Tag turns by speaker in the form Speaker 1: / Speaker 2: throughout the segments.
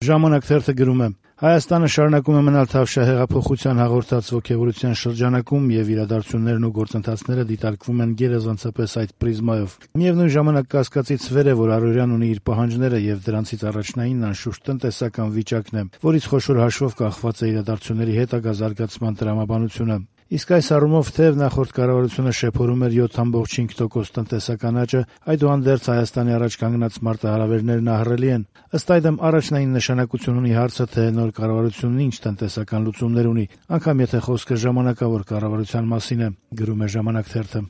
Speaker 1: Ժամանակ թերթը գրում է. Հայաստանը շարունակում է մնալ Թավշյա հեղափոխության հաղորդած ոգևորության շրջանակում եւ իրադարձություններն ու գործընթացները դիտարկվում են գերազանցապես այդ պրիզմայով։ Միևնույն ժամանակ կասկածից վեր է, որ առօրյան ունի իր պահանջները եւ դրանցից առաջնայինն անշուշտ տնտեսական վիճակն է, որից խոշոր հաշվով կախված է իրադարձությունների հետագա զարգացման տրամաբանությունը։ Իսկ այս առումով թեև նախորդ կառավարությունը շեփորում էր 7.5% տնտեսական աճը, այդուհանդերձ Հայաստանի առաջ կանգնած մարտահրավերներն ահռելի են։ Ըստ այդմ առաջնային նշանակություն ունի հարցը, թե նոր կառավարությունն ինչ տնտեսական լուծումներ ունի, անգամ եթե խոսքը ժամանակավոր կառավարության մասին է, գրում է Ժամանակ թերթը։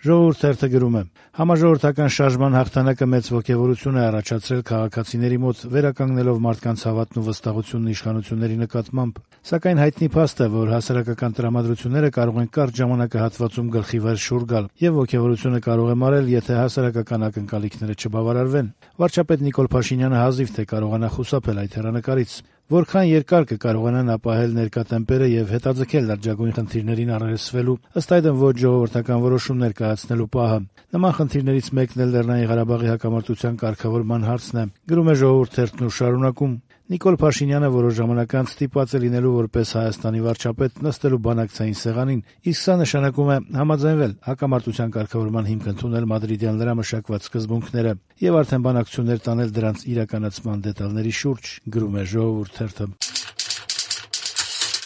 Speaker 1: Ժողովուրդ թերթը գրում է. Համաժողովրդական շարժման հաղթանակը մեծ ոգևորություն է առաջացրել քաղաքացիների մոտ, վերականգնելով մարդկանց հավատն ու վստահությունն իշխանությունների նկատմամբ։ Սակայն հայտնի փաստ է, որ հասարակական տրամադրությունները կարող են կարճ ժամանակահատվածում գլխի վեր շուռ գալ, եւ ոգևորությունը կարող է մարել, եթե հասարակական ակնկալիքները չբավարարվեն։ Վարչապետ Նիկոլ Փաշինյանը հազիվ թե կարողանա խուսափել այդ հեռանկարից։ Որքան երկար կկարողանան ապահել ներկա տեմպերը եւ հետաձգել լրջագույն խնդիրներին առերեսվելու, ըստ այդմ ոչ ժողովրդական որոշումներ կայացնելու պահը։ Նման խնդիրներից մեկն էլ Լեռնային Ղարաբաղի հակամարտության կարգավորման հարցն է, գրում է Ժողովուրդ թերթն ու շարունակում. Նիկոլ Փաշինյանը որոշ ժամանակ անց ստիպված է լինելու որպես Հայաստանի վարչապետ նստելու բանակցային սեղանին, իսկ սա նշանակում է համաձայնվել հակամարտության կարգավորման հիմք ընդունել մադրիդյան լրամշակված սկզբունքները եւ արդեն բանակցություններ տանել դրանց իրականացման դետալների շուրջ, գրում է Ժողովուրդ թերթը։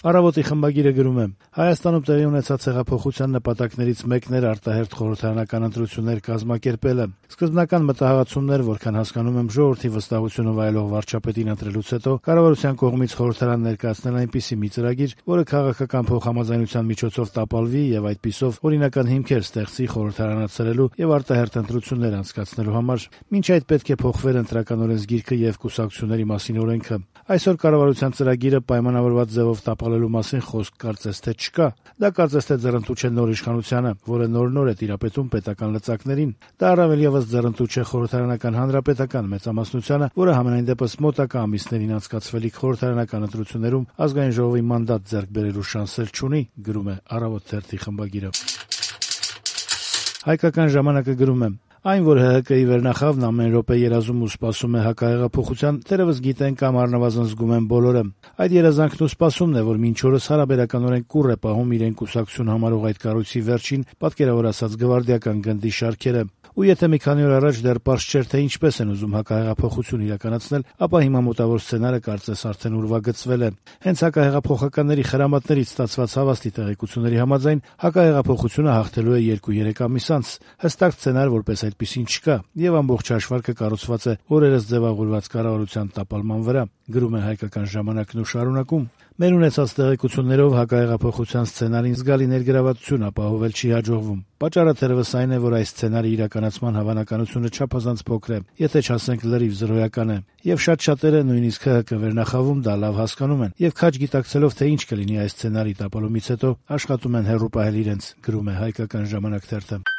Speaker 1: Առավոտի խմբագիրը գրում է. Հայաստանում տեղի ունեցած հեղափոխության նպատակներից մեկն էր արտահերթ խորհրդարանական ընտրություններ կազմակերպելը։ Սկզբնական մտահղացումներ, որքան հասկանում եմ, ժողովրդի վստահությունը վայելող վարչապետին ընտրելուց հետո կառավարության կողմից խորհրդարան ներկայացնել այնպիսի մի ծրագիր, որը քաղաքական փոխհամաձայնության միջոցով տապալվի եւ այդպիսով օրինական հիմքեր ստեղծի խորհրդարանացրելու եւ արտահերթ ընտրություններ անցկացնելու համար։ Մինչ այդ պետք է փոխվեր ընտրական օրենսգիրքը եւ կուսակցությունների մասին օրենքը։ Այսօր կառավարության ծրագիրը պայմանավորված ձևով տապալելու մասին խոսք կարծես թե չկա։ Դա կարծես թե ձեռնտու չէ նոր իշխանությանը, որը նոր է տիրապետում պետական լծակներին։ Դա առավել եւս ձեռնտու չէ խորհրդարանական հանրապետական մեծամասնությանը, որը համենայն դեպս մոտակա ամիսներին անցկացվելիք խորհրդարանական ընտրություններում ազգային ժողովի մանդատ ձեռք բերելու շանսեր չունի, գրում է Առավոտ թերթի խմբագիրը։ Հայկական ժամանակը գրում է. Այն, որ ՀՀԿ-ի վերնախավն ամեն րոպե երազում ու սպասում է հակահեղափոխության, թերևս գիտեն կամ առնվազն զգում են բոլորը։ Այդ երազանքն ու սպասումն է, որ մինչ օրս հարաբերականորեն կուռ է պահում իրեն կուսակցություն համարող այդ կառույցի վերջին, պատկերավոր ասած, գվարդիական գնդի շարքերը։ Ու եթե մի քանի օր առաջ դեռ պարզ չէր, թե ինչպես են ուզում հակահեղափոխություն իրականացնել, ապա հիմա մոտավոր սցենարը կարծես արդեն ուրվագծվել է։ Հենց հակահեղափոխականների խրամատներից ստացված հավաստի տեղեկությունների համաձայն հակահեղափոխությունը հաղթելու է 2-3 ամիս անց։ Հստակ սցենար որպես այդպիսին չկա, եւ ամբողջ հաշվարկը կառուցված է օրերս ձևավորված կառավարության տապալման վրա, գրում է Հայկական ժամանակն ու շարունակում. Մեր ունեցած տեղեկություններով հակահեղափոխության սցենարին զգալի ներգրավվածություն ապահովել չի հաջողվում։ Պատճառը թերևս այն է, որ այս սցենարի իրականացման հավանականությունը չափազանց փոքր է, եթե չասենք լրիվ զրոյական է։ Եվ շատ-շատերը, նույնիսկ ՀՀԿ վերնախավում, դա լավ հասկանում են, եւ քաջ գիտակցելով, թե ինչ կլինի այս սցենարի տապալումից հետո, աշխատում են հեռու պահել իրենց, գրում է Հայկական ժամանակ թերթը։